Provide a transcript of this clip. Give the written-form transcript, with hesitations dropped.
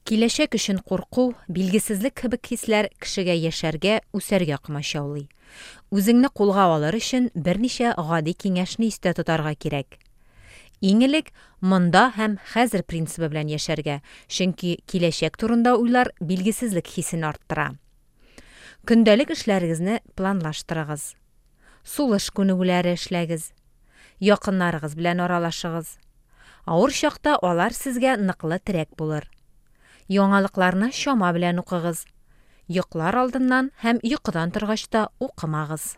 Киләчәк өчен курку, билгесезлек кебек хисләр кешегә яшәргә, үсәргә комачаулый. Үзеңне кулга алыр өчен берничә гади киңәшне истә тотарга кирәк. Иң элек, монда һәм хәзер принцибы белән яшәргә, чөнки киләчәк турында уйлар билгесезлек хисен арттыра. Көндәлек эшләрегезне планлаштырыгыз. Сулыш күнегүләре эшләгез. Якыннарыгыз белән аралашыгыз. Авыр чакта алар сезгә ныклы терәк булыр. Яңалыкларны чама белән укыгыз. Йоклар алдыннан һәм йокыдан торгач та укымагыз.